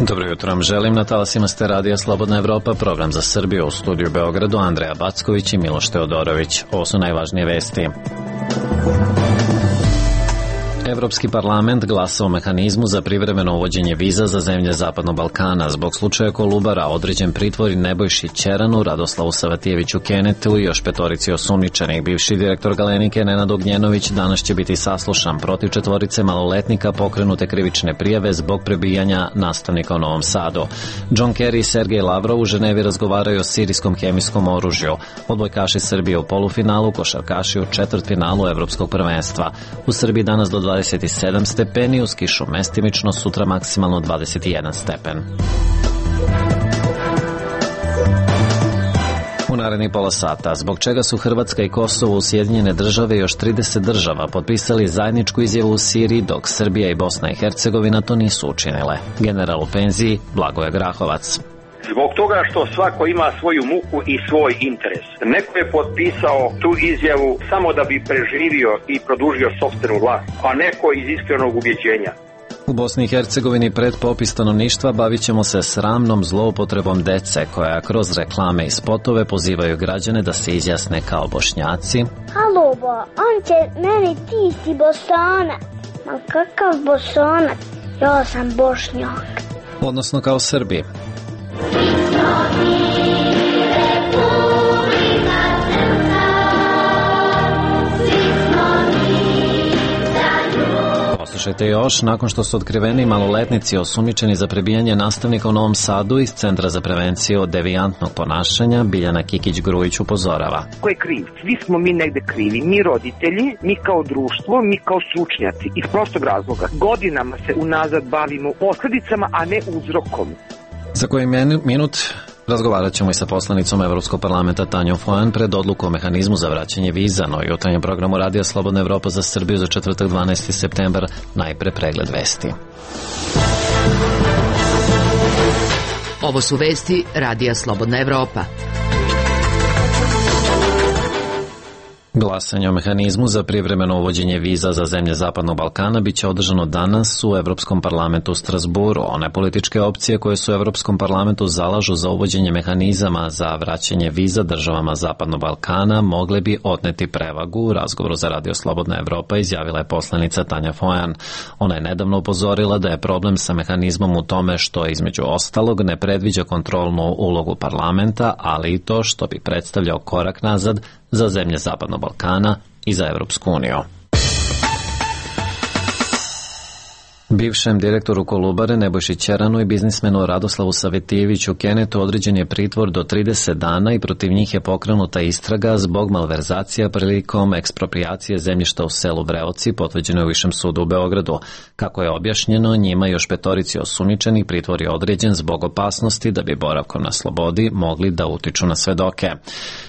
Dobro jutro vam želim, na talasima ste Radija Slobodna Evropa, program za Srbiju, u studiju Beogradu Andreja Backović i Miloš Teodorović. Ovo su najvažnije vesti. Evropski parlament glasa o mehanizmu za privremeno uvođenje viza za zemlje Zapadnog Balkana. Zbog slučaja Kolubara određen pritvor Nebojši Ćeranu, Radoslavu Savatijeviću Kenetu i još petorici osumnjičenih. Bivši direktor Galenike Nenad Ognjenović danas će biti saslušan. Protiv četvorice maloletnika pokrenute krivične prijave zbog prebijanja nastavnika u Novom Sadu. John Kerry i Sergej Lavrov u Ženevi razgovaraju o sirijskom hemijskom oružju. Odbojkaši Srbije u polufinalu, košarkaši u četvrtfinalu Evropskog prvenstva. U Srbiji danas do 27 stepeni, uz kišu mestimično, sutra maksimalno 21 stepen. U narednih pola sata, zbog čega su Hrvatska i Kosovo u Sjedinjene Države i još 30 država potpisali zajedničku izjavu u Siriji, dok Srbija i Bosna i Hercegovina to nisu učinile. General u penziji Blagoje Grahovac. Zbog toga što svako ima svoju muku i svoj interes. Neko je potpisao tu izjavu samo da bi preživio i produžio sopstvenu vlast, a neko iz iskrenog ubjeđenja. U Bosni i Hercegovini pred popis stanovništva bavit ćemo se sramnom zloupotrebom dece koja kroz reklame i spotove pozivaju građane da se izjasne kao Bošnjaci. Halo bo, on će meni ti si Bosanac. Ma kakav Bosanac? Ja sam Bošnjak. Odnosno kao Srbi. Poslušajte još, nakon što su otkriveni maloletnici osumnjičeni za prebijanje nastavnika u Novom Sadu iz Centra za prevenciju od devijantnog ponašanja, Biljana Kikić-Grujić upozorava. Ko je kriv? Svi smo mi negde krivi. Mi roditelji, mi kao društvo, mi kao stručnjaci. Iz prostog razloga. Godinama se unazad bavimo posljedicama, a ne uzrokom. Za koji minut razgovarat ćemo i sa poslanicom Evropskog parlamenta Tanjom Fajon pred odluku o mehanizmu za vraćanje viza, no i jutarnjem programu Radija Slobodna Evropa za Srbiju za četvrtak 12. septembar, najpre pregled vesti. Ovo su vesti Radija Slobodna Evropa. Glasanje o mehanizmu za privremeno uvođenje viza za zemlje Zapadnog Balkana biće održano danas u Evropskom parlamentu u Strasburu. One političke opcije koje su u Evropskom parlamentu zalažu za uvođenje mehanizama za vraćanje viza državama Zapadnog Balkana mogle bi odneti prevagu. U razgovoru za Radio Slobodna Evropa izjavila je poslanica Tanja Fajon. Ona je nedavno upozorila da je problem sa mehanizmom u tome što između ostalog ne predviđa kontrolnu ulogu parlamenta, ali i to što bi predstavljao korak nazad za zemlje Zapadnog Balkana i za Evropsku uniju. Bivšem direktoru Kolubare Nebojši Ćeranu i biznismenu Radoslavu Savatijeviću Kenetu određen je pritvor do 30 dana i protiv njih je pokrenuta istraga zbog malverzacija prilikom eksproprijacije zemljišta u selu Vreoci, potvrđeno je u Višem sudu u Beogradu. Kako je objašnjeno, njima još petorici osumnjičenih pritvor je određen zbog opasnosti da bi boravkom na slobodi mogli da utiču na svedoke.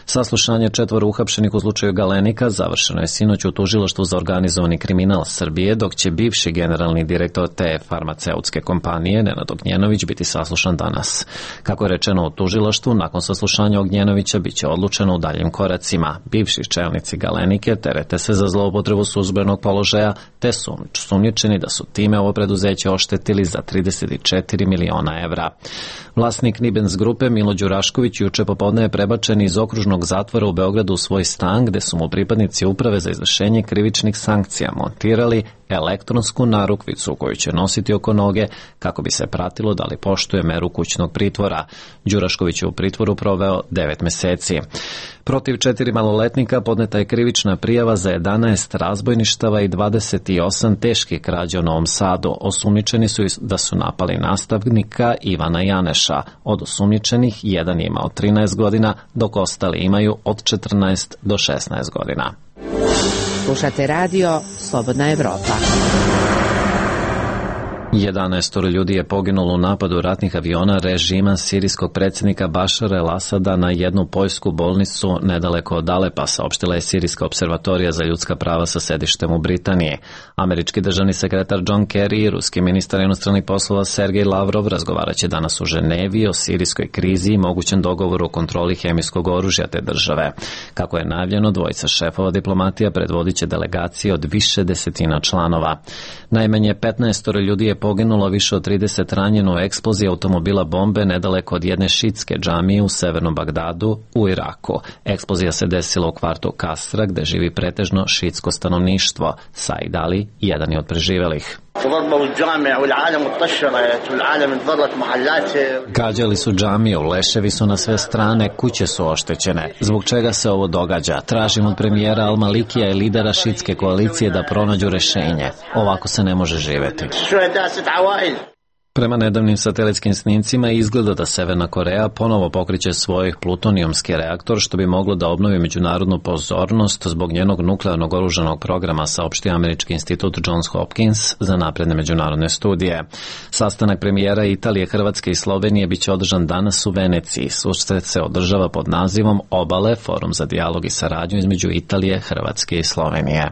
Saslušanje četvoro uhapšenih u slučaju Galenika završeno je sinoć u tužilaštvu za organizovani kriminal Srbije, dok će bivši generalni direktor te farmaceutske kompanije Nenad Ognjenović biti saslušan danas. Kako je rečeno u tužilaštvu, nakon saslušanja Ognjenovića biće odlučeno u daljim koracima. Bivši čelnici Galenike terete se za zloupotrebu službenog položaja, te su sumnjičeni da su time ovo preduzeće oštetili za 34 miliona evra. Vlasnik Nibens grupe Milo Đurašković juče popodne je prebačen iz okružnog zatvora u Beogradu u svoj stan, gde su mu pripadnici uprave za izvršenje krivičnih sankcija montirali elektronsku narukvicu koju će nositi oko noge kako bi se pratilo da li poštuje meru kućnog pritvora. Đurašković je u pritvoru proveo 9 meseci. Protiv 4 maloletnika podneta je krivična prijava za 11 razbojništava i 28 teških krađa u Novom Sadu. Osumnjičeni su da su napali nastavnika Ivana Janeša. Od osumnjičenih jedan je imao 13 godina, dok ostali imaju od 14 do 16 godina. Slušate radio Slobodna Evropa. 11 ljudi je poginulo u napadu ratnih aviona režima sirijskog predsjednika Bašara el-Asada na jednu poljsku bolnicu nedaleko od Alepa, saopštila je Sirijska observatorija za ljudska prava sa sedištem u Britaniji. Američki državni sekretar John Kerry i ruski ministar inostranih poslova Sergej Lavrov razgovaraće danas u Ženevi o sirijskoj krizi i mogućem dogovoru o kontroli hemijskog oružja te države. Kako je najavljeno, dvojica šefova diplomatija predvodit će delegacije od više desetina članova. Najmanje 15 ljudi je poginulo, više od 30 ranjeno u eksploziji automobila bombe nedaleko od jedne šitske džamije u severnom Bagdadu u Iraku. Eksplozija se desila u kvartu Kasra, gde živi pretežno šitsko stanovništvo. Said Ali, jedan je od preživelih. Gađali su džamiju, leševi su na sve strane, kuće su oštećene. Zbog čega se ovo događa? Tražim od premijera Al-Malikija i lidera šitske koalicije da pronađu rešenje. Ovako se ne može živeti. Prema nedavnim satelitskim snimcima izgleda da Severna Koreja ponovo pokreće svoj plutonijumski reaktor, što bi moglo da obnovi međunarodnu pozornost zbog njenog nuklearnog oružanog programa, saopštio Američki institut Johns Hopkins za napredne međunarodne studije. Sastanak premijera Italije, Hrvatske i Slovenije biće održan danas u Veneciji. Susret se održava pod nazivom Obale, forum za dijalog i saradnju između Italije, Hrvatske i Slovenije.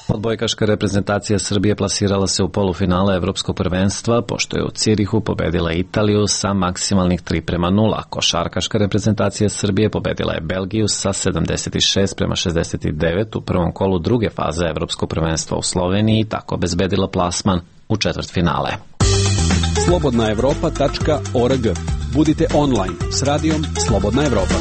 Odbojkaška reprezentacija Srbije plasirala se u polufinale Evropskog prvenstva, pošto je u Cirihu pobedila Italiju sa maksimalnih 3:0. Košarkaška reprezentacija Srbije pobedila je Belgiju sa 76:69 u prvom kolu druge faze Evropskog prvenstva u Sloveniji i tako obezbedila plasman u četvrtfinale. slobodnaevropa.org. Budite online s radijom Slobodna Evropa.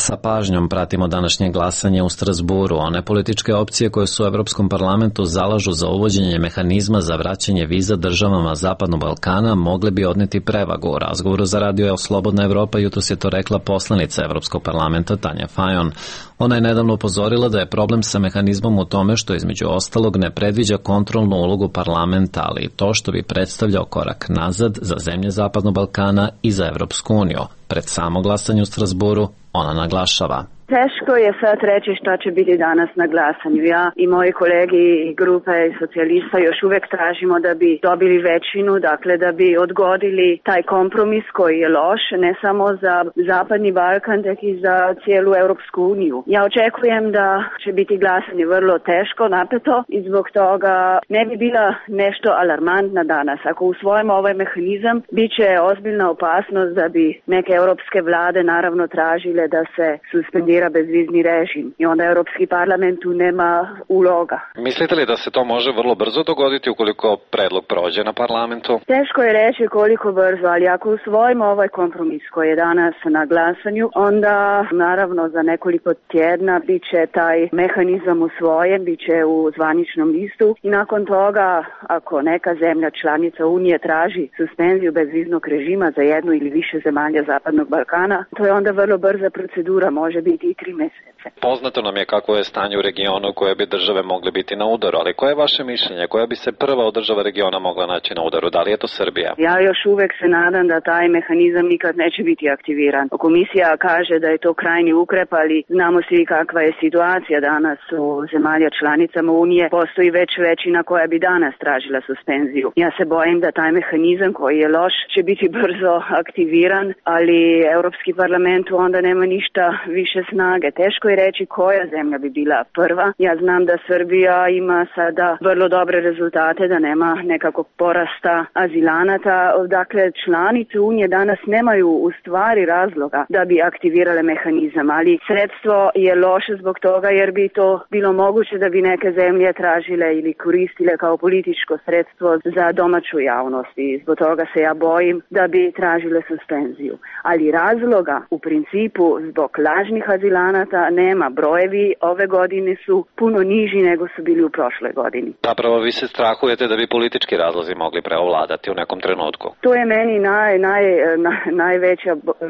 Sa pažnjom pratimo današnje glasanje u Strasburu. One političke opcije koje su u Evropskom parlamentu zalažu za uvođenje mehanizma za vraćanje viza državama Zapadnog Balkana mogle bi odneti prevagu. U razgovoru za radio Slobodna Evropa jutros je to rekla poslanica Evropskog parlamenta Tanja Fajon. Ona je nedavno upozorila da je problem sa mehanizmom u tome što između ostalog ne predviđa kontrolnu ulogu parlamenta, ali i to što bi predstavljao korak nazad za zemlje Zapadnog Balkana i za Evropsku uniju. Pred samo glasanje u Strasburu ona naglašava: Teško je sad reći šta će biti danas na glasanju. Ja i moji kolegi i grupe socijalista još uvek tražimo da bi dobili većinu, dakle da bi odgodili taj kompromis koji je loš, ne samo za Zapadni Balkan, tek i za cijelu Europsku uniju. Ja očekujem da će biti glasanje vrlo teško, napeto i zbog toga ne bi bila nešto alarmantna danas. Ako usvojimo ovaj mehanizam, bit će ozbiljna opasnost da bi neke europske vlade naravno tražile da se suspendira bezvizni režim i onda Europski parlament tu nema uloga. Mislite li da se to može vrlo brzo dogoditi ukoliko predlog prođe na parlamentu? Teško je reći koliko brzo, ali ako usvojimo ovaj kompromis koji je danas na glasanju, onda naravno za nekoliko tjedna bit će taj mehanizam usvojen, bit će u zvaničnom listu i nakon toga ako neka zemlja članica Unije traži suspenziju bezviznog režima za jednu ili više zemalja Zapadnog Balkana, to je onda vrlo brza procedura, može biti i 3 mjeseca. Poznato nam je kako je stanje u regionu koje bi države mogle biti na udaru, ali koje je vaše mišljenje? Koja bi se prva od država regiona mogla naći na udaru? Da li je to Srbija? Ja još uvek se nadam da taj mehanizam nikad neće biti aktiviran. Komisija kaže da je to krajnji ukrep, ali znamo svi kakva je situacija danas u zemalja članicama Unije. Postoji već većina koja bi danas tražila suspenziju. Ja se bojim da taj mehanizam koji je loš će biti brzo aktiviran, ali Europski parlament onda nema ništa više snage. Teško je reći koja zemlja bi bila prva. Ja znam da Srbija ima sada vrlo dobre rezultate, da nema nekakvog porasta azilanata. Dakle, članice Unije danas nemaju u stvari razloga da bi aktivirale mehanizam, ali sredstvo je loše zbog toga jer bi to bilo moguće da bi neke zemlje tražile ili koristile kao političko sredstvo za domaću javnost i zbog toga se ja bojim da bi tražile suspenziju. Ali razloga u principu zbog lažnih azilanata nema. Brojevi ove godine su puno niži nego su bili u prošloj godini. Zapravo vi se strahujete da bi politički razlozi mogli preovladati u nekom trenutku? To je meni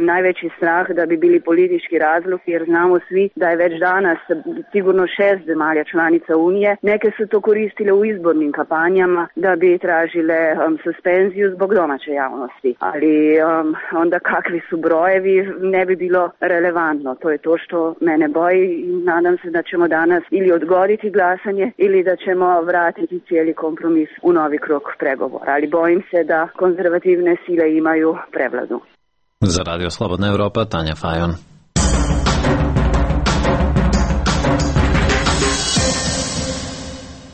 najveći strah da bi bili politički razlog, jer znamo svi da je već danas sigurno 6 zemalja članica Unije. Neke su to koristile u izbornim kampanjama da bi tražile suspenziju zbog domaće javnosti. Ali onda kakvi su brojevi ne bi bilo relevantno. To je to što mene boji i nadam se da ćemo danas ili odgoditi glasanje ili da ćemo vratiti cijeli kompromis u novi krug pregovora. Ali bojim se da konzervativne sile imaju prevladu. Za Radio Slobodna Evropa, Tanja Fajon.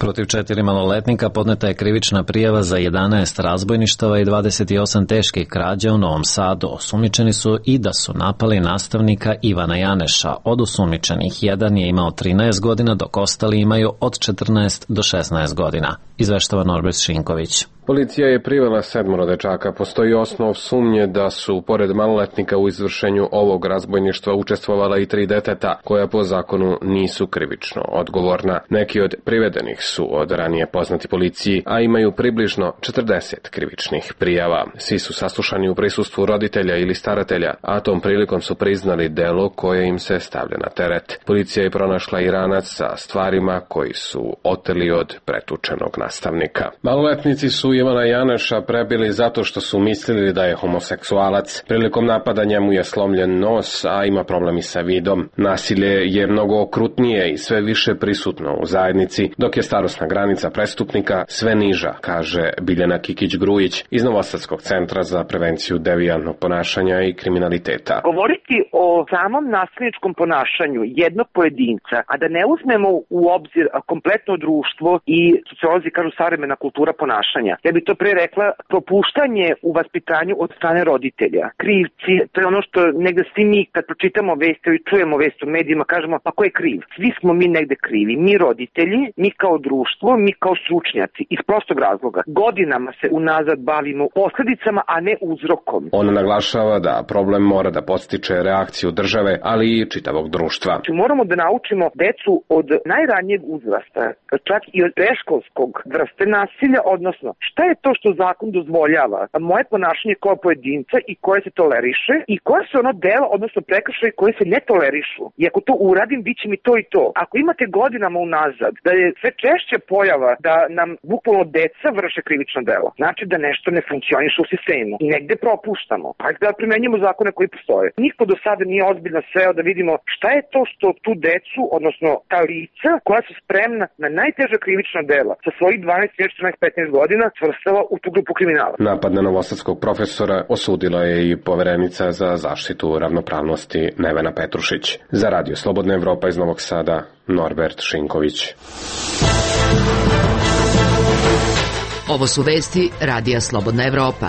Protiv 4 maloletnika podneta je krivična prijava za 11 razbojništava i 28 teških krađa u Novom Sadu. Osumnjičeni su i da su napali nastavnika Ivana Janeša. Od osumnjičenih jedan je imao 13 godina, dok ostali imaju od 14 do 16 godina. Izveštava Norbert Šinković. Policija je privela 7 dečaka. Postoji osnov sumnje da su, pored maloletnika, u izvršenju ovog razbojništva učestvovala i 3 deteta, koja po zakonu nisu krivično odgovorna. Neki od privedenih su od ranije poznati policiji, a imaju približno 40 krivičnih prijava. Svi su saslušani u prisustvu roditelja ili staratelja, a tom prilikom su priznali delo koje im se stavlja na teret. Policija je pronašla i ranac sa stvarima koji su oteli od pretučenog nastavnika. Maloletnici su Ivana Janeša prebili zato što su mislili da je homoseksualac. Prilikom napada njemu je slomljen nos, a ima problemi sa vidom. Nasilje je mnogo okrutnije i sve više prisutno u zajednici, dok je starosna granica prestupnika sve niža, kaže Biljana Kikić-Grujić iz Novosadskog centra za prevenciju devijantnog ponašanja i kriminaliteta. Govoriti o samom nasilničkom ponašanju jednog pojedinca, a da ne uzmemo u obzir kompletno društvo i sociolozi kažu savremena kultura ponašanja. Ja bi to pre rekla propuštanje u vaspitanju od strane roditelja. Krivci, to je ono što negde svi mi kad pročitamo vesti i čujemo vesti u medijima kažemo pa ko je kriv? Svi smo mi negde krivi. Mi roditelji, mi kao društvo, mi kao stručnjaci. Iz prostog razloga. Godinama se unazad bavimo posledicama, a ne uzrokom. On naglašava da problem mora da podstiče reakciju države, ali i čitavog društva. Moramo da naučimo decu od najranijeg uzrasta, čak i od predškolskog vrste nasilja, odnosno šta je to što zakon dozvoljava, moje ponašanje kao pojedinca i koje se toleriše i koje su ono dela, odnosno prekršaje koje se ne tolerišu. I ako to uradim, bit će mi to i to. Ako imate godinama unazad da je sve češće pojava da nam bukvalno deca vrše krivično delo, znači da nešto ne funkcioniše u sistemu i negde propuštamo. Hajde da primenjujemo zakone koji postoje. Niko do sada nije ozbiljno seo da vidimo šta je to što tu decu, odnosno ta lica koja su spremna na najteža krivična dela sa svojih 12, 14, 15 godina svrstava u tu grupu kriminala. Napad na novosadskog profesora osudila je i poverenica za zaštitu ravnopravnosti Nevena Petrušić. Za Radio Slobodna Evropa iz Novog Sada, Norbert Šinković. Ovo su vesti Radija Slobodna Evropa.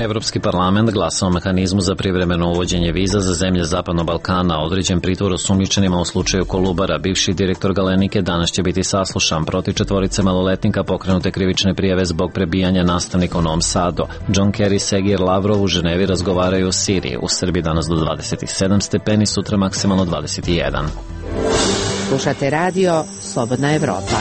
Evropski parlament glasa o mehanizmu za privremeno uvođenje viza za zemlje Zapadnog Balkana. Određen pritvor osumnjičenima u slučaju Kolubara. Bivši direktor Galenike danas će biti saslušan. Protiv 4 maloletnika pokrenute krivične prijave zbog prebijanja nastavnika u Novom Sadu. John Kerry, Sergej Lavrov u Ženevi razgovaraju o Siriji. U Srbiji danas do 27 stepeni, sutra maksimalno 21. Slušate radio Slobodna Evropa.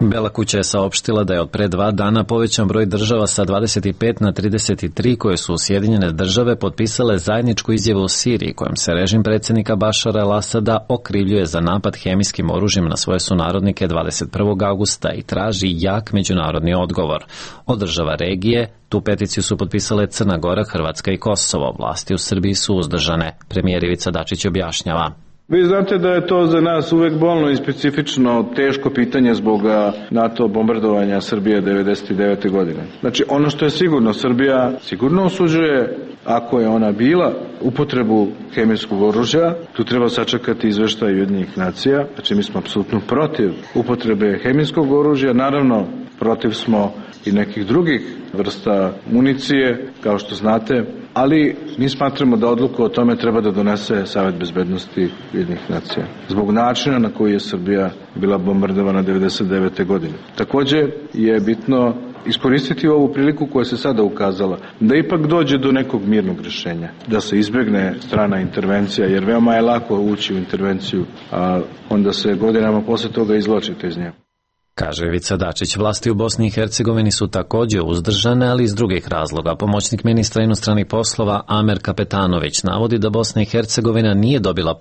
Bela kuća je saopštila da je od pre 2 dana povećan broj država sa 25 na 33 koje su Sjedinjene države potpisale zajedničku izjavu o Siriji kojom se režim predsjednika Bašara el-Asada okrivljuje za napad hemijskim oružjem na svoje sunarodnike 21. augusta i traži jak međunarodni odgovor. Od država regije tu peticiju su potpisale Crna Gora, Hrvatska i Kosovo. Vlasti u Srbiji su uzdržane. Premijer Ivica Dačić objašnjava. Vi znate da je to za nas uvek bolno i specifično teško pitanje zbog NATO bombardovanja Srbije 1999. godine. Znači, ono što je sigurno, Srbija sigurno osuđuje, ako je ona bila, upotrebu hemijskog oružja. Tu treba sačekati izveštaj Ujedinjenih nacija. Znači, mi smo apsolutno protiv upotrebe hemijskog oružja. Naravno, protiv smo i nekih drugih vrsta municije, kao što znate, ali mi smatramo da odluku o tome treba da donese Savet bezbednosti Ujedinjenih nacija. Zbog načina na koji je Srbija bila bombardovana 1999. godine. Takođe je bitno iskoristiti ovu priliku koja se sada ukazala, da ipak dođe do nekog mirnog rješenja, da se izbegne strana intervencija, jer veoma je lako ući u intervenciju, a onda se godinama posle toga izvlačite iz nje. Kaže Ivica Dačić. Vlasti u Bosni i Hercegovini su također uzdržane, ali iz drugih razloga. Pomoćnik ministra inostranih poslova Amer Kapetanović navodi da Bosna i Hercegovina nije dobila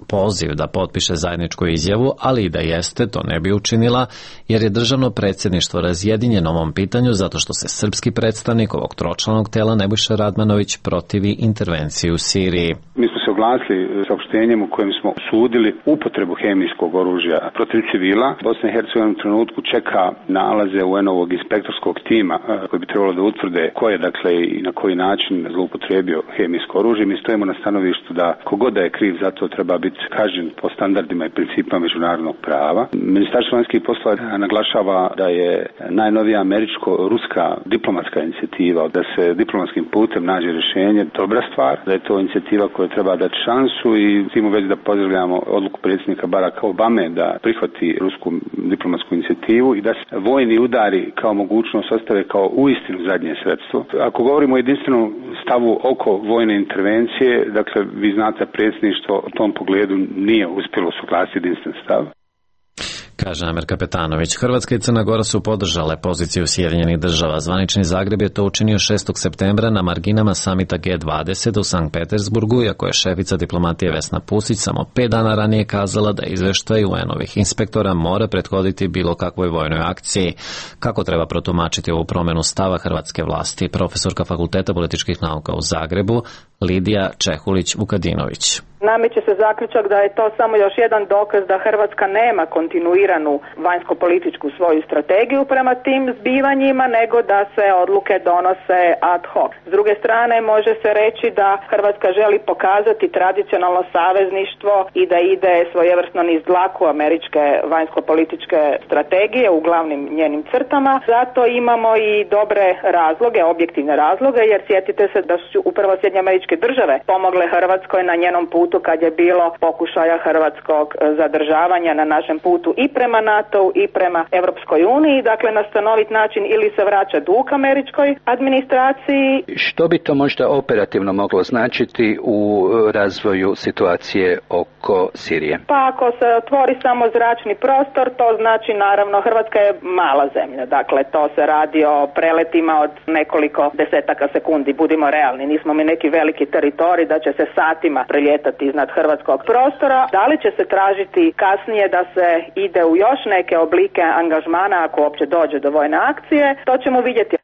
poziv da potpiše zajedničku izjavu, ali i da jeste, to ne bi učinila, jer je državno predsjedništvo razjedinjeno ovom pitanju zato što se srpski predstavnik ovog tročlanog tela Nebojša Radmanović protivi intervenciji u Siriji. Mi smo se oglasili saopštenjem u kojem smo osudili upotrebu hemijskog oružja protiv civila. Bosna i Hercegovina trenutku čeka nalaze UN-ovog inspektorskog tima koji bi trebalo da utvrde ko je dakle i na koji način zloupotrijebio hemijsko oružje. Mi stojimo na stanovištu da kogod da je kriv za to treba biti kažnjen po standardima i principima međunarodnog prava. Ministarstvo vanjskih poslova naglašava da je najnovija američko-ruska diplomatska inicijativa, da se diplomatskim putem nađe rješenje, dobra stvar, da je to inicijativa koja treba dati šansu i s tim u vezi da pozdravljamo odluku predsjednika Baracka Obame da prihvati rusku diplomatsku inicijativu i da se vojni udari kao mogućnost ostave kao uistinu zadnje sredstvo. Ako govorimo o jedinstvenom stavu oko vojne intervencije, dakle vi znate predsjedništvo u tom pogledu nije uspjelo usuglasiti jedinstven stav. Kaže Amer Kapetanović. Hrvatska i Crna Gora su podržale poziciju Sjedinjenih država. Zvanični Zagreb je to učinio 6. septembra na marginama samita G20 u Sankt Petersburgu, iako je šefica diplomatije Vesna Pusić samo 5 dana ranije kazala da izveštaj UN-ovih inspektora mora prethoditi bilo kakvoj vojnoj akciji. Kako treba protumačiti ovu promjenu stava hrvatske vlasti? Profesorka Fakulteta političkih nauka u Zagrebu, Lidija Čehulić-Vukadinović. Nameće se zaključak da je to samo još jedan dokaz da Hrvatska nema kontinuiranu vanjsko-političku svoju strategiju prema tim zbivanjima, nego da se odluke donose ad hoc. S druge strane, može se reći da Hrvatska želi pokazati tradicionalno savezništvo i da ide svojevrsno niz dlaku američke vanjsko-političke strategije u glavnim njenim crtama. Zato imamo i dobre razloge, objektivne razloge, jer sjetite se da su upravo Sjedinjene Američke Države pomogle Hrvatskoj na njenom putu kad je bilo pokušaja hrvatskog zadržavanja na našem putu i prema NATO-u i prema Europskoj uniji. Dakle, na stanovit način ili se vraća dug američkoj administraciji. Što bi to možda operativno moglo značiti u razvoju situacije oko Sirije? Pa ako se otvori samo zračni prostor, to znači naravno Hrvatska je mala zemlja. Dakle, to se radi o preletima od nekoliko desetaka sekundi. Budimo realni, nismo mi neki veliki teritorij da će se satima prelijetati iznad hrvatskog prostora. Da li će se tražiti kasnije da se ide u još neke oblike angažmana ako uopće dođe do vojne akcije, to ćemo vidjeti.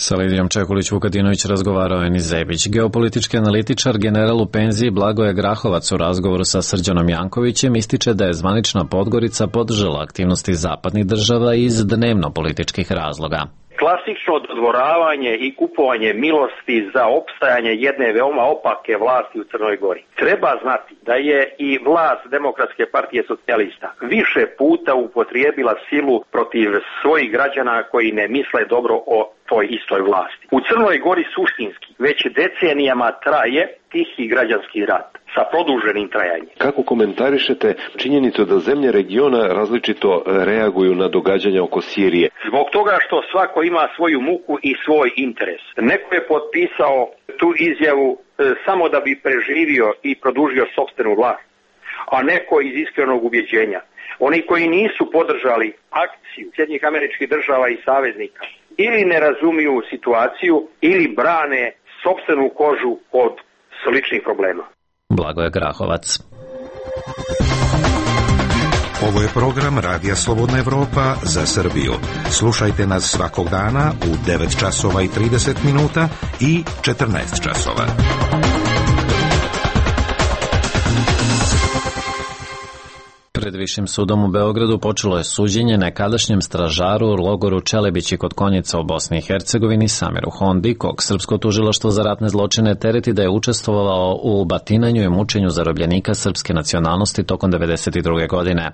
Sa Lidijom Čekulić-Vukadinović razgovarao je Nizebić. Geopolitički analitičar, general u penziji Blagoje Grahovac u razgovoru sa Srđanom Jankovićem ističe da je zvanična Podgorica podržala aktivnosti zapadnih država iz dnevno-političkih razloga. Klasično dodvoravanje i kupovanje milosti za opstajanje jedne veoma opake vlasti u Crnoj Gori. Treba znati da je i vlast Demokratske partije socijalista više puta upotrijebila silu protiv svojih građana koji ne misle dobro o toj istoj vlasti. U Crnoj Gori suštinski već decenijama traje tihi građanski rat sa produženim trajanjem. Kako komentarišete činjenicu da zemlje regiona različito reaguju na događanja oko Sirije? Zbog toga što svako ima svoju muku i svoj interes. Neko je potpisao tu izjavu samo da bi preživio i produžio sopstvenu vlast, a neko iz iskrenog ubjeđenja. Oni koji nisu podržali akciju Sjedinjenih Američkih Država i saveznika ili ne razumiju situaciju ili brane sopstvenu kožu od sličnih problema. Blagoje Grahovac. Ovo je program Radija Slobodna Evropa za Srbiju. Slušajte nas svakog dana u 9 časova i 30 minuta i 14 časova. Pred Višim sudom u Beogradu počelo je suđenje nekadašnjem stražaru u logoru Čelebići kod Konjica u Bosni i Hercegovini Samiru Hondi, kog srpsko tužilaštvo za ratne zločine tereti da je učestvovao u batinanju i mučenju zarobljenika srpske nacionalnosti tokom 1992. godine.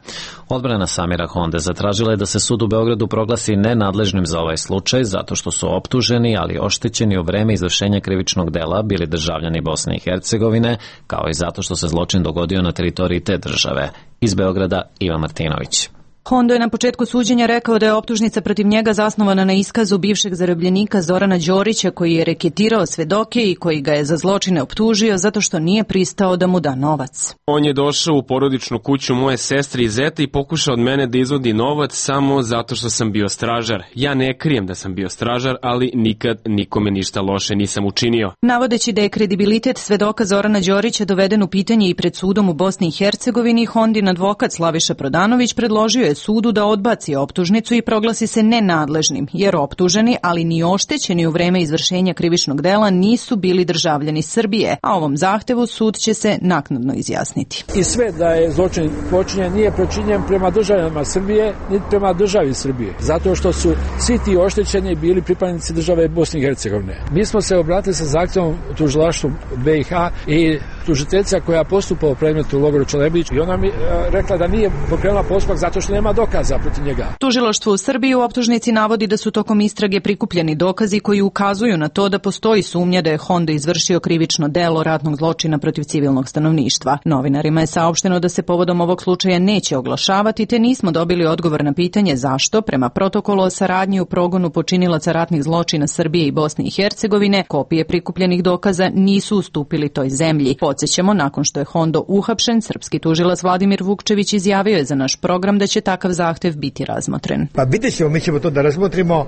Odbrana Samira Honde zatražila je da se sud u Beogradu proglasi nenadležnim za ovaj slučaj zato što su optuženi, ali oštećeni u vreme izvršenja krivičnog dela bili državljani Bosne i Hercegovine, kao i zato što se zločin dogodio na teritoriji te države. Iz Beograda Ivan Martinović. Hondo je na početku suđenja rekao da je optužnica protiv njega zasnovana na iskazu bivšeg zarobljenika Zorana Đorića koji je reketirao svedoke i koji ga je za zločine optužio zato što nije pristao da mu da novac. On je došao u porodičnu kuću moje sestre i zeta i pokušao od mene da izvodi novac samo zato što sam bio stražar. Ja ne krijem da sam bio stražar, ali nikad nikome ništa loše nisam učinio. Navodeći da je kredibilitet svedoka Zorana Đorića doveden u pitanje i pred sudom u Bosni i Hercegovini, Hondin advokat Slaviša Prodanović predložio je je sudu da odbaci optužnicu i proglasi se nenadležnim, jer optuženi, ali ni oštećeni u vreme izvršenja krivičnog dela nisu bili državljani Srbije, a ovom zahtevu sud će se naknadno izjasniti. I sve da je zločin počinjen nije počinjen prema državljanima Srbije, niti prema državi Srbije, zato što su svi ti oštećeni bili pripadnici države Bosne i Hercegovine. Mi smo se obratili sa zahtjevom tužilaštvu BiH i tužiteljica koja postupa u predmetu u logoru Čelebić i ona mi rekla da nije pokrenula postupak zato što nema dokaza protiv njega. Tužilaštvo u Srbiji u optužnici navodi da su tokom istrage prikupljeni dokazi koji ukazuju na to da postoji sumnja da je Hondo izvršio krivično delo ratnog zločina protiv civilnog stanovništva. Novinarima je saopšteno da se povodom ovog slučaja neće oglašavati, te nismo dobili odgovor na pitanje zašto, prema protokolu o saradnji u progonu počinilaca ratnih zločina Srbije i Bosne i Hercegovine, kopije prikupljenih dokaza nisu ustupili toj zemlji. Podsjećamo, nakon što je Hondo uhapšen, srpski tužilac Vladimir Vukčević izjavio je za naš program da će takav zahtev biti razmotren. Pa vidjet ćemo, mi ćemo to da razmotrimo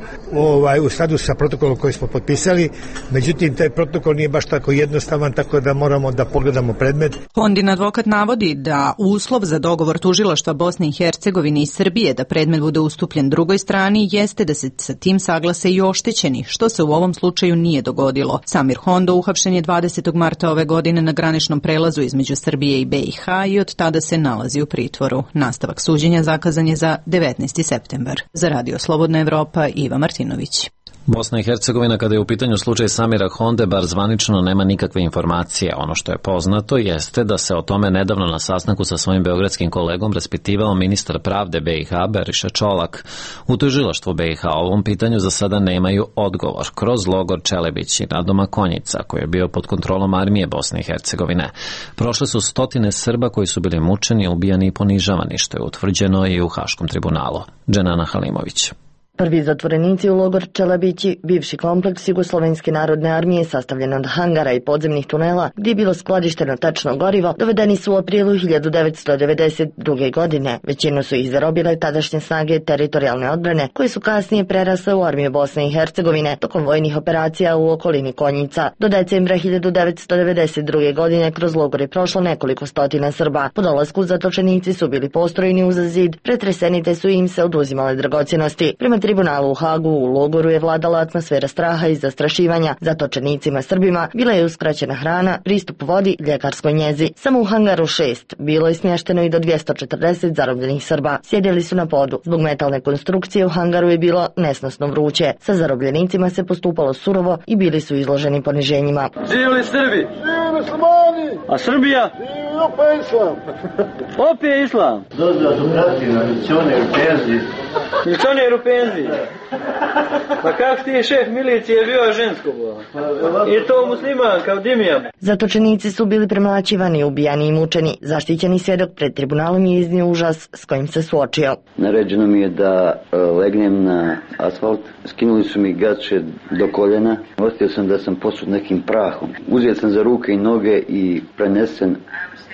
u skladu sa protokolom koji smo potpisali, međutim taj protokol nije baš tako jednostavan, tako da moramo da pogledamo predmet. Hondin advokat navodi da uslov za dogovor tužilaštva Bosne i Hercegovine i Srbije da predmet bude ustupljen drugoj strani jeste da se sa tim saglase i oštećeni, što se u ovom slučaju nije dogodilo. Samir Hondo uhapšen je 20. marta ove godine na graničnom prelazu između Srbije i BiH i od tada se nalazi u pritvoru. Nastavak suđenja zakazan je za 19. septembar. Za Radio Slobodna Evropa, Iva Martinović. Bosna i Hercegovina, kada je u pitanju slučaj Samira Honde, bar zvanično nema nikakve informacije. Ono što je poznato jeste da se o tome nedavno na sastanku sa svojim beogradskim kolegom raspitivao ministar pravde BiH Beriša Čolak. U tužilaštvu BiH o ovom pitanju za sada nemaju odgovor kroz logor Čelebić i nadomak Konjica, koji je bio pod kontrolom armije Bosne i Hercegovine. Prošle su stotine Srba koji su bili mučeni, ubijani i ponižavani, što je utvrđeno i u Haškom tribunalu. Dženana Halimović. Prvi zatvorenici u logor Čelebići, bivši kompleks Jugoslovenske narodne armije sastavljen od hangara i podzemnih tunela gdje je bilo skladišteno tečno gorivo, dovedeni su u aprilu 1992. godine. Većinu su ih zarobile tadašnje snage teritorijalne odbrane, koje su kasnije prerasle u armiju Bosne i Hercegovine tokom vojnih operacija u okolini Konjica. Do decembra 1992. godine kroz logor je prošlo nekoliko stotina Srba. Po dolasku zatočenici su bili postrojeni uz zid, pretreseni te su im se oduzimale dragocjenosti. Prema tribunalu u Hagu u logoru je vladala atmosfera straha i zastrašivanja. Zatočenicima Srbima bila je uskraćena hrana, pristup vodi, ljekarskoj njezi. Samo u hangaru 6 bilo je smješteno i do 240 zarobljenih Srba. Sjedili su na podu. Zbog metalne konstrukcije u hangaru je bilo nesnosno vruće. Sa zarobljenicima se postupalo surovo i bili su izloženi poniženjima. Živjeli Srbi! Živjeli muslimani! A Srbija? Živjeli opet islam! Opet islam! Dozda su pratina, milicioner u penziji. Milicioner u penziji? Pa kako ti šef milicije bio žensko? I to musliman kao Dimija. Zatočenici su bili premlaćivani, ubijani i mučeni. Zaštićeni svjedok pred tribunalom je iznio užas s kojim se suočio. Naređeno mi je da legnem na asfalt. Skinuli su mi gaće do koljena. Ostio sam da sam posut nekim prahom. Uzeo sam za ruke i noge i prenesen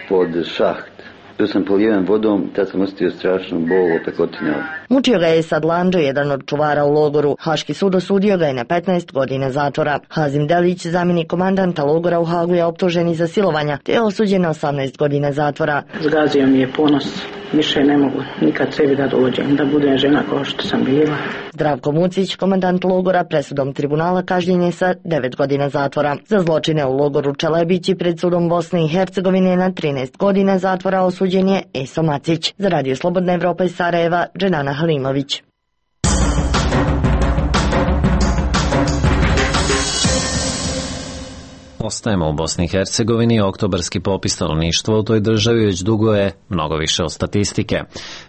pod šaht. Tu sam polijevan vodom, tad sam ostio strašnu bol opekotine. Mučio ga je Sadlandžo, jedan od čuvara u logoru. Haški sud osudio ga je na 15 godina zatvora. Hazim Delić, zamjenik komandanta logora u Hagu, je optužen i za silovanja, te je osuđen na 18 godina zatvora. Zgazio mi je ponos. Više ne mogu nikad sebi da dođem, da budem žena kao što sam bila. Zdravko Mucić, komandant logora, presudom tribunala kažnjen je sa 9 godina zatvora. Za zločine u logoru Čelebići pred sudom Bosne i Hercegovine na 13 godina zatvora osuđen je Eso Macić. Za Radio Slobodna Evropa iz Sarajeva, Dženana Halimović. Ostajemo u Bosni i Hercegovini. Oktobarski popis stanovništva u toj državi već dugo je mnogo više od statistike.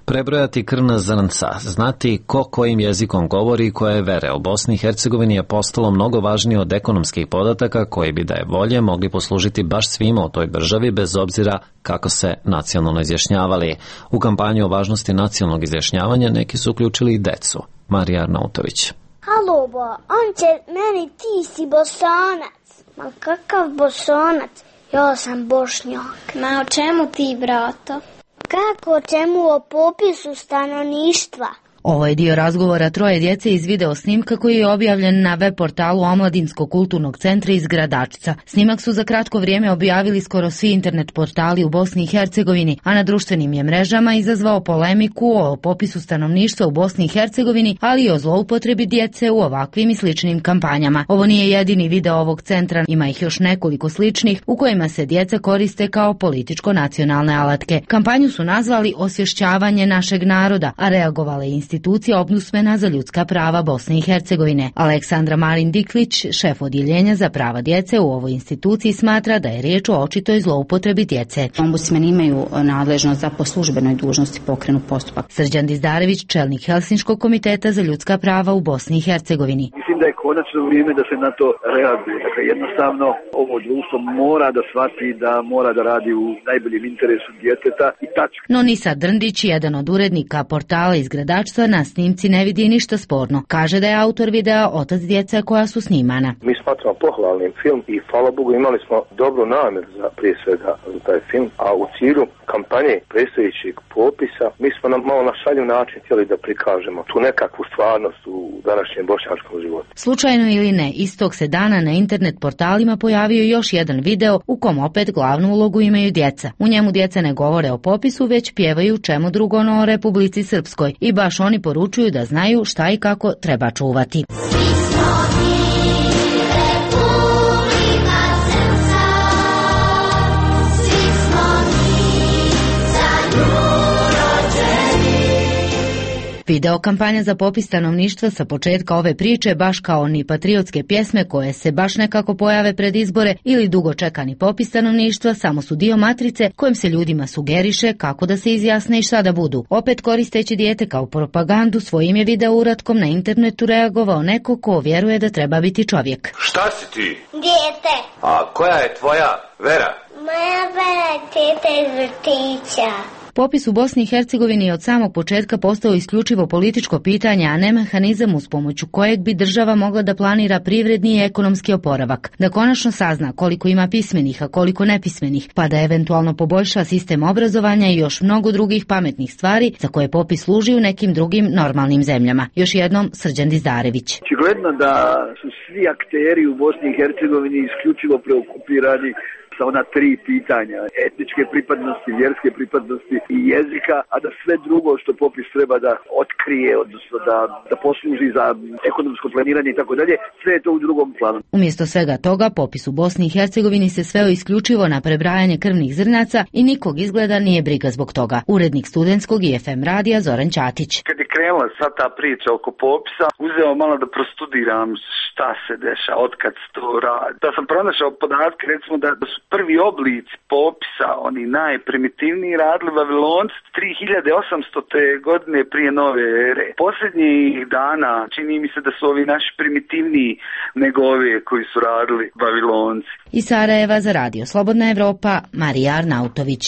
Prebrojati krvna zrnca, znati ko kojim jezikom govori i koje vere u Bosni i Hercegovini je postalo mnogo važnije od ekonomskih podataka koji bi da je volje mogli poslužiti baš svima u toj državi bez obzira kako se nacionalno izjašnjavali. U kampanju o važnosti nacionalnog izjašnjavanja neki su uključili i decu. Marija Arnautović. Halo ba, Anče, meni ti si Bosanac. Ma kakav Bosonac? Ja sam Bošnjak. Ma o čemu ti, brato? Kako o čemu? O popisu stanovništva. Ovo je dio razgovora troje djece iz video snimka koji je objavljen na web portalu Omladinskog kulturnog centra iz Gradačca. Snimak su za kratko vrijeme objavili skoro svi internet portali u Bosni i Hercegovini, a na društvenim je mrežama izazvao polemiku o popisu stanovništva u Bosni i Hercegovini, ali i o zloupotrebi djece u ovakvim i sličnim kampanjama. Ovo nije jedini video ovog centra, ima ih još nekoliko sličnih u kojima se djeca koriste kao političko-nacionalne alatke. Kampanju su nazvali Osvješćavanje našeg naroda, a reagovala je institucija Ombudsmana za ljudska prava Bosne i Hercegovine. Aleksandra Marin Diklić, šef odjeljenja za prava djece u ovoj instituciji, smatra da je riječ o očitoj zloupotrebi djece. Ombudsmeni imaju nadležnost da po službenoj dužnosti pokrenu postupak. Srđan Dizdarević, čelnik Helsinškog komiteta za ljudska prava u Bosni i Hercegovini. Mislim da je konačno vrijeme da se na to reaguje. Dakle, jednostavno ovo društvo mora da shvati da mora da radi u najboljem interesu djeteta i tačka. No Nisa Drndić, jedan od urednika portala iz Gradačca, na snimci ne vidi ništa sporno. Kaže da je autor videa otac djece koja su snimana. Mi smatramo pohvalnim film i hvala Bogu imali smo dobru namjeru za prije svega za taj film, a u cilju kampanje predstojećeg popisa mi smo malo na šaljiv način htjeli da prikažemo tu nekakvu stvarnost u današnjem bošnjačkom životu. Slučajno ili ne, istog se dana na internet portalima pojavio još jedan video u kom opet glavnu ulogu imaju djeca. U njemu djeca ne govore o popisu, već pjevaju čemu drugo no o Republici Srpskoj i baš oni poručuju da znaju šta i kako treba čuvati. Video kampanja za popis stanovništva sa početka ove priče, baš kao ni patriotske pjesme koje se baš nekako pojave pred izbore ili dugo čekani popis stanovništva, samo su dio matrice kojim se ljudima sugeriše kako da se izjasne i šta da budu. Opet koristeći dijete kao propagandu, svojim je video uratkom na internetu reagovao neko ko vjeruje da treba biti čovjek. Šta si ti? Dijete. A koja je tvoja vera? Moja vera je teta iz vrtića. Popis u Bosni i Hercegovini je od samog početka postao isključivo političko pitanje, a ne mehanizam uz pomoću kojeg bi država mogla da planira privredni i ekonomski oporavak, da konačno sazna koliko ima pismenih, a koliko nepismenih, pa da eventualno poboljša sistem obrazovanja i još mnogo drugih pametnih stvari za koje popis služi u nekim drugim normalnim zemljama. Još jednom Srđan Dizdarević. Očigledno da su svi akteri u Bosni i Hercegovini isključivo preokupirani sa ona tri pitanja, etničke pripadnosti, vjerske pripadnosti i jezika, a da sve drugo što popis treba da otkrije, odnosno da posluži za ekonomsko planiranje i tako dalje, sve je to u drugom planu. Umjesto svega toga, popis u Bosni i Hercegovini se sveo isključivo na prebrajanje krvnih zrnaca i nikog izgleda nije briga zbog toga. Urednik studentskog i FM radija Zoran Ćatić. Kad je krenula sva ta priča oko popisa, uzeo malo da prostudiram šta se dešava, otkad se to radi. Da sam pronašao podatke, recimo da su prvi oblici popisa, oni najprimitivniji, radili Vavilonci 3800. godine prije nove ere. Posljednjih dana čini mi se da su ovi naši primitivniji nego ove koji su radili Vavilonci. Iz Sarajeva za Radio Slobodna Evropa, Marija Arnautović.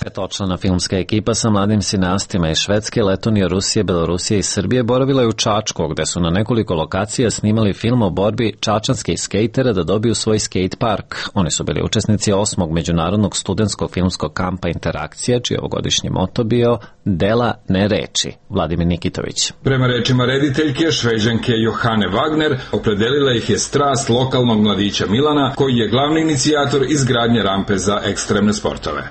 Petočlana filmska ekipa sa mladim sinastima iz Švedske, Letonije, Rusije, Belorusije i Srbije boravila je u Čačku, gde su na nekoliko lokacija snimali film o borbi čačanskih skejtera da dobiju svoj skate park. Oni su bili učesnici 8. međunarodnog studentskog filmskog kampa Interakcija, čiji ovogodišnji moto bio Dela, ne reči. Vladimir Nikitović. Prema rečima rediteljke, Šveđanke Johane Wagner, opredelila ih je strast lokalnog mladića Milana, koji je glavni inicijator izgradnje rampe za ekstremne sportove.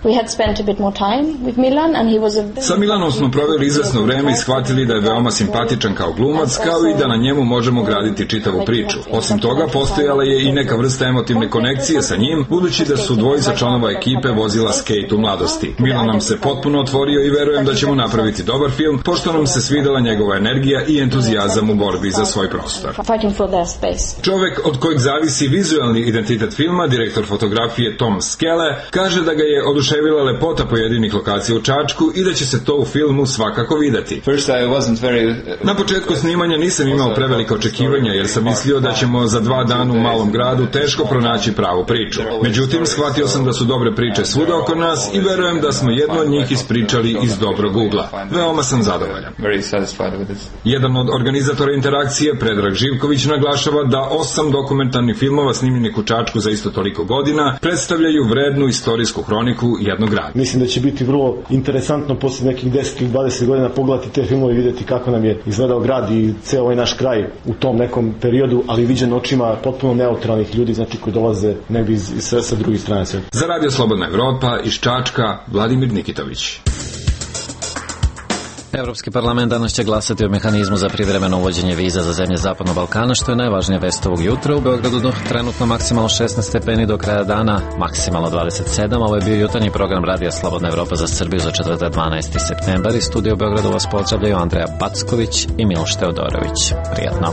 Sa Milanom smo proveli izvesno vreme i shvatili da je veoma simpatičan kao glumac, kao i da na njemu možemo graditi čitavu priču. Osim toga, postojala je i neka vrsta emotivne konekcije sa njim, budući da su dvojica članova ekipe vozila skejt u mladosti. Milan nam se potpuno otvorio i verujem da ćemo napraviti dobar film, pošto nam se svidela njegova energija i entuzijazam u borbi za svoj prostor. Čovek od kojeg zavisi vizualni identitet filma, direktor fotografije Tom Skele, kaže da ga je oduševila lepota pojedinih lokacija u Čačku i da će se to u filmu svakako videti. Na početku snimanja nisam imao prevelike očekivanja jer sam mislio da ćemo za 2 dana u malom gradu teško pronaći pravu priču. Međutim, shvatio sam da su dobre priče svuda oko nas i verujem da smo jednu od njih ispričali iz dobrog Google-a. Veoma sam zadovoljan. Jedan od organizatora interakcije, Predrag Živković, naglašava da 8 dokumentarnih filmova snimljenih u Čačku za isto toliko godina predstavljaju vrednu istorijsku hroniku jednog grada. Mislim da će biti vrlo interesantno posle nekih 10 ili 20 godina pogledati te filmove i vidjeti kako nam je izgledao grad i ceo ovaj naš kraj u tom nekom periodu, ali viđen očima potpuno neutralnih ljudi, znači koji dolaze negdje sa drugih strana sveta. Za Radio Slobodna Evropa iz Čačka, Vladimir Nikitović. Evropski parlament danas će glasati o mehanizmu za privremeno uvođenje viza za zemlje Zapadnog Balkana, što je najvažnija vest ovog jutra. U Beogradu trenutno maksimalno 16 stepeni, do kraja dana maksimalno 27. Ovo je bio jutarnji program Radija Slobodna Evropa za Srbiju za četvrtak 12. septembar. Iz studija u Beogradu vas pozdravljaju Andreja Packović i Miloš Teodorović. Prijatno.